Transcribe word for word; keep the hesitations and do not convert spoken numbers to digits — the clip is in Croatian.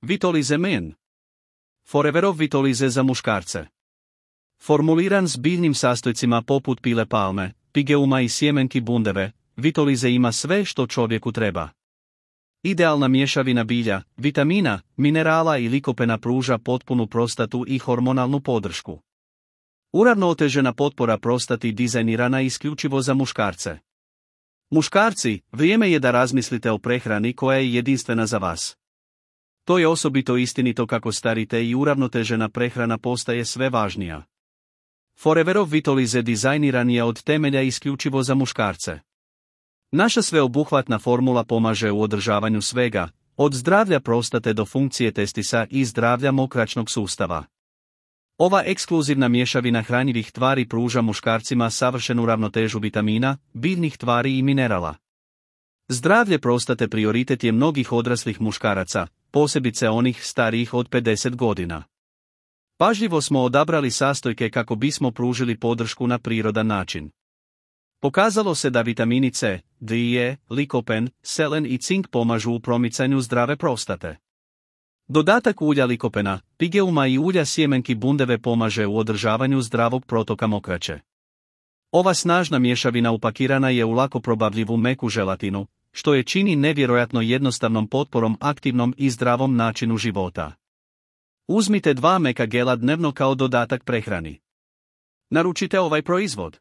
Vitolize Men. Foreverov Vitolize za muškarce. Formuliran s biljnim sastojcima poput pile palme, pigeuma i sjemenki bundeve, Vitolize ima sve što čovjeku treba. Idealna mješavina bilja, vitamina, minerala i likopena pruža potpunu prostatu i hormonalnu podršku. Uravnotežena potpora prostati dizajnirana isključivo za muškarce. Muškarci, vrijeme je da razmislite o prehrani koja je jedinstvena za vas. To je osobito istinito kako starite i uravnotežena prehrana postaje sve važnija. Foreverov Vitolize dizajniran je od temelja isključivo za muškarce. Naša sveobuhvatna formula pomaže u održavanju svega, od zdravlja prostate do funkcije testisa i zdravlja mokraćnog sustava. Ova ekskluzivna mješavina hranjivih tvari pruža muškarcima savršenu ravnotežu vitamina, biljnih tvari i minerala. Zdravlje prostate prioritet je mnogih odraslih muškaraca, posebice onih starijih od pedeset godina. Pažljivo smo odabrali sastojke kako bismo pružili podršku na prirodan način. Pokazalo se da vitamini C, D i E, likopen, selen i cink pomažu u promicanju zdrave prostate. Dodatak ulja likopena, pigeuma i ulja sjemenki bundeve pomaže u održavanju zdravog protoka mokraće. Ova snažna mješavina upakirana je u lako probavljivu meku želatinu, što je čini nevjerojatno jednostavnom potporom aktivnom i zdravom načinu života. Uzmite dva meka gela dnevno kao dodatak prehrani. Naručite ovaj proizvod.